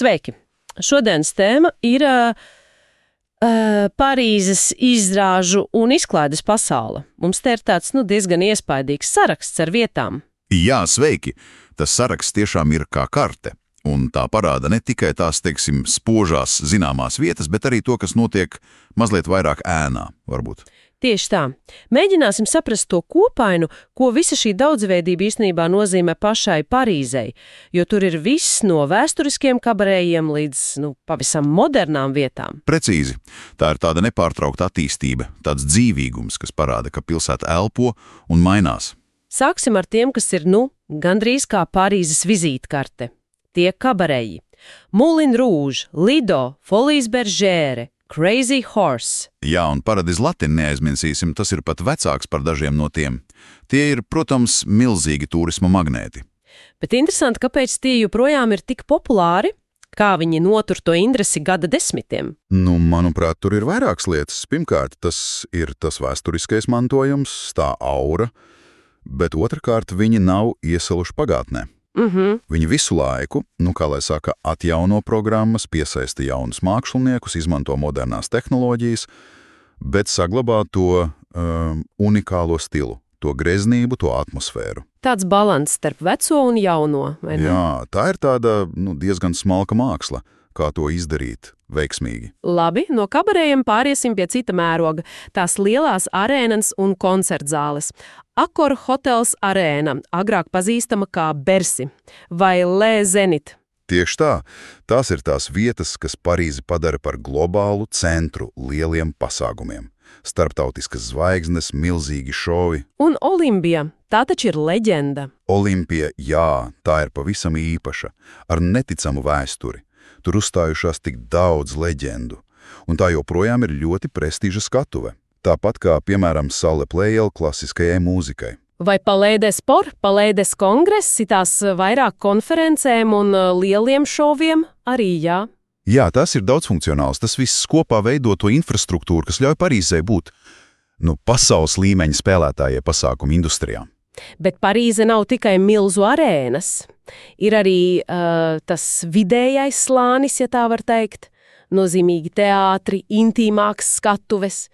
Sveiki! Šodienas tēma ir Parīzes izrāžu un izklaides pasaule. Mums te ir tāds diezgan iespaidīgs saraksts ar vietām. Jā, sveiki! Tas saraksts tiešām ir kā karte. Un tā parāda ne tikai tās, teiksim, spožās zināmās vietas, bet arī to, kas notiek mazliet vairāk ēnā, varbūt. Tieši tā. Mēģināsim saprast to kopainu, ko visa šī daudzveidība īstenībā nozīmē pašai Parīzei, jo tur ir viss no vēsturiskiem kabarējiem līdz, pavisam modernām vietām. Precīzi. Tā ir tāda nepārtraukta attīstība, tāds dzīvīgums, kas parāda, ka pilsēta elpo un mainās. Sāksim ar tiem, kas ir, gandrīz kā Parīzes vizītkarte. Tie kabareji. Moulin Rouge, Lido, Folies Bergère, Crazy Horse. Jā, un Paradise Latin neaizmirsīsim, tas ir pat vecāks par dažiem no tiem. Tie ir, protams, milzīgi turisma magnēti. Bet interesanti, kāpēc tie joprojām ir tik populāri, kā viņi notur to interesi gada desmitiem. Manuprāt, tur ir vairākas lietas. Pirmkārt, tas ir tas vēsturiskais mantojums, tā aura, bet otrkārt, viņi nav iesaluši pagātnē. Viņi visu laiku, atjauno programmas, piesaista jaunus māksliniekus, izmanto modernās tehnoloģijas, bet saglabā to unikālo stilu, to greznību, to atmosfēru. Tāds balanss starp veco un jauno, vai ne? Jā, tā ir tāda diezgan smalka māksla, kā to izdarīt veiksmīgi. Labi, no kabarējiem pāriesim pie cita mēroga, tās lielās arēnas un koncertzāles. Accor Hotels Arēna, agrāk pazīstama kā Bercy vai Le Zenit. Tieši tā. Tās ir tās vietas, kas Parīzi padara par globālu centru lieliem pasākumiem. Starptautiskas zvaigznes, milzīgi šovi. Un Olimpija, tā taču ir leģenda. Olimpija, jā, tā ir pavisam īpaša, ar neticamu vēsturi. Tur uzstājušās tik daudz leģendu, un tā joprojām ir ļoti prestiža skatuve. Tāpat kā, piemēram, Salle Pleyel klasiskajai mūzikai. Vai Palais des Sports, Palais des Congrès, tās vairāk konferencēm un lieliem šoviem arī, jā? Jā, tas ir daudzfunkcionāls. Tas viss kopā veido to infrastruktūru, kas ļauj Parīzei būt pasaules līmeņa spēlētājai pasākumu industrijā. Bet Parīze nav tikai milzu arēnas. Ir arī tas vidējais slānis, ja tā var teikt, nozīmīgi teātri, intīmāks skatuves,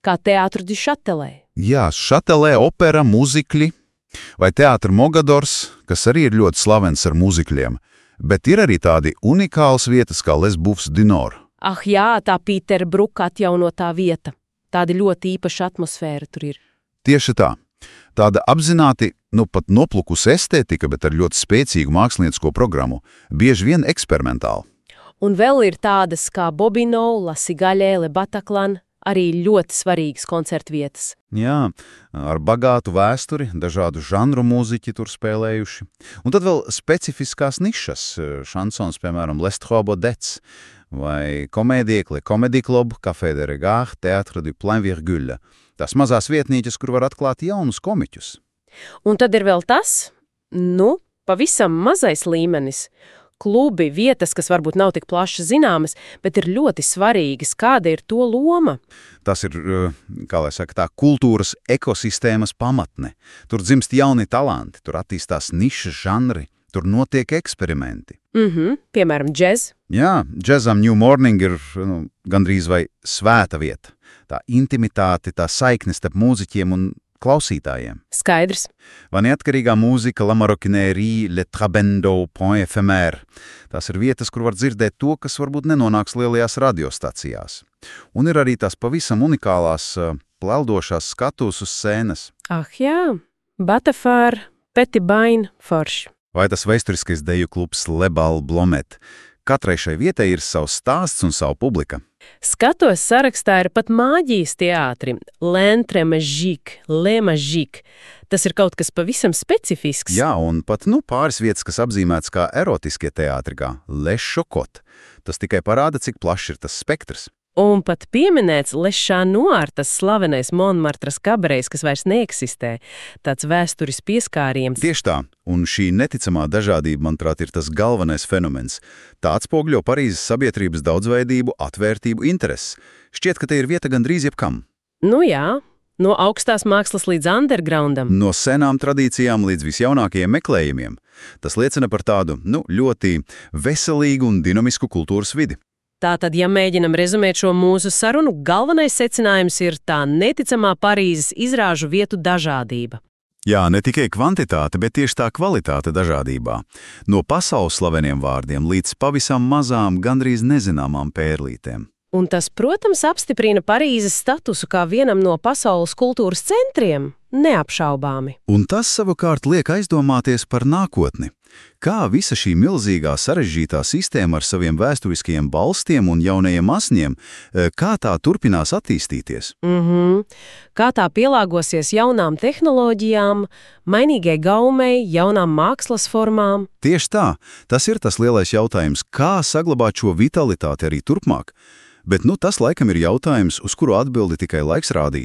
kā Théâtre du Châtelet. Jā, Châtelet, opera, muzikļi, vai Teātra Mogadors, kas arī ir ļoti slavens ar muzikļiem, bet ir arī tādi unikāls vietas kā Les Bouffes du Nord. Ah jā, tā Pītera Bruka atjaunotā vieta. Tāda ļoti īpaša atmosfēra tur ir. Tieši tā. Tāda apzināti, pat noplukusi estētika, bet ar ļoti spēcīgu māksliniecisko programmu, bieži vien eksperimentāli. Un vēl ir tādas kā Bobino, La Cigale, Le Bataclan, arī ļoti svarīgas koncertvietas. Jā, ar bagātu vēsturi, dažādu žanru mūziķi tur spēlējuši. Un tad vēl specifiskās nišas, šansons, piemēram, Les Trois Baudets, vai komēdija, Comedy Club, Café de Regard, Théâtre du Plein Virgule. Tās mazās vietnītes, kur var atklāt jaunus komiķus. Un tad ir vēl tas, pavisam mazais līmenis. Klubi, vietas, kas varbūt nav tik plaši zināmas, bet ir ļoti svarīgas. Kāda ir to loma? Tas ir, tā kultūras ekosistēmas pamatne. Tur dzimst jauni talanti, tur attīstās nišas žanri, tur notiek eksperimenti. Piemēram, džez. Jā, džezam New Morning ir gandrīz vai svēta vieta. Tā intimitāte, tā saikne starp mūziķiem un klausītājiem. Skaidrs. Vai neatkarīgā mūzika, La Maroquinerie, Le Trabendo, Point Ephémère. Tās ir vietas, kur var dzirdēt to, kas varbūt nenonāks lielajās radiostacijās. Un ir arī tās pavisam unikālās, peldošās skatuves uz scēnas. Ah jā, Batafār, Petit Bain, Forš. Vai tas vēsturiskais deju klubs Le Bal Blomet. Katrai šai vietai ir savs stāsts un savu publika. Skatos sarakstā ir pat māģijas teātri, L'Entrée Magique, Le Magique. Tas ir kaut kas pavisam specifisks. Jā, un pat pāris vietas, kas apzīmēts kā erotiskie teātri, kā Le Chocotte. Tas tikai parāda, cik plašs ir tas spektrs. Un pat pieminēts Le Chat Noir, tas slavenais Montmartras kabarejs, kas vairs neeksistē. Tāds vēsturis pieskāriens. Tieši tā, un šī neticamā dažādība, manuprāt, ir tas galvenais fenomens. Tā atspoguļo Parīzes sabiedrības daudzveidību, atvērtību, intereses. Šķiet, ka te ir vieta gandrīz jebkam. Jā, No augstās mākslas līdz undergroundam. No senām tradīcijām līdz visjaunākajiem meklējumiem. Tas liecina par tādu, ļoti veselīgu un dinamisku kultūras vidi. Tātad, ja mēģinam rezumēt šo mūsu sarunu, galvenais secinājums ir tā neticamā Parīzes izrāžu vietu dažādība. Jā, ne tikai kvantitāte, bet tieši tā kvalitāte dažādībā. No pasaules slaveniem vārdiem līdz pavisam mazām, gandrīz nezināmām pērlītēm. Un tas, protams, apstiprina Parīzes statusu kā vienam no pasaules kultūras centriem, neapšaubāmi. Un tas savukārt liek aizdomāties par nākotni. Kā visa šī milzīgā sarežģītā sistēma ar saviem vēsturiskajiem balstiem un jaunajiem asņiem, kā tā turpinās attīstīties? Kā tā pielāgosies jaunām tehnoloģijām, mainīgai gaumei, jaunām mākslas formām? Tieši tā, tas ir tas lielais jautājums, kā saglabāt šo vitalitāti arī turpmāk. Bet tas laikam ir jautājums, uz kuru atbildi tikai laiks rādīs.